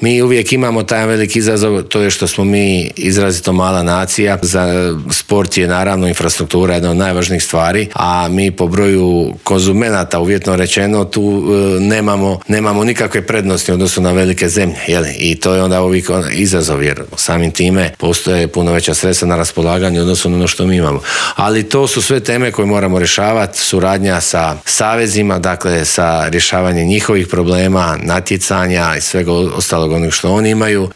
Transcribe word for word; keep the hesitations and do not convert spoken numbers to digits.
Mi uvijek imamo taj veliki izazov, to je što smo mi izrazito mala nacija. Za sport je naravno infrastruktura jedna od najvažnijih stvari, a mi po broju konzumenata, uvjetno rečeno, tu e, nemamo, nemamo nikakve prednosti u odnosu na velike zemlje. Jeli? I to je onda uvijek izazov, jer samim time postoje puno veća sredstva na raspolaganju u odnosu na ono što mi imamo. Ali to su sve teme koje moramo rješavati, suradnja sa savezima, dakle sa rješavanjem njihovih problema, natjecanja i svega ostalog onog što oni imaju.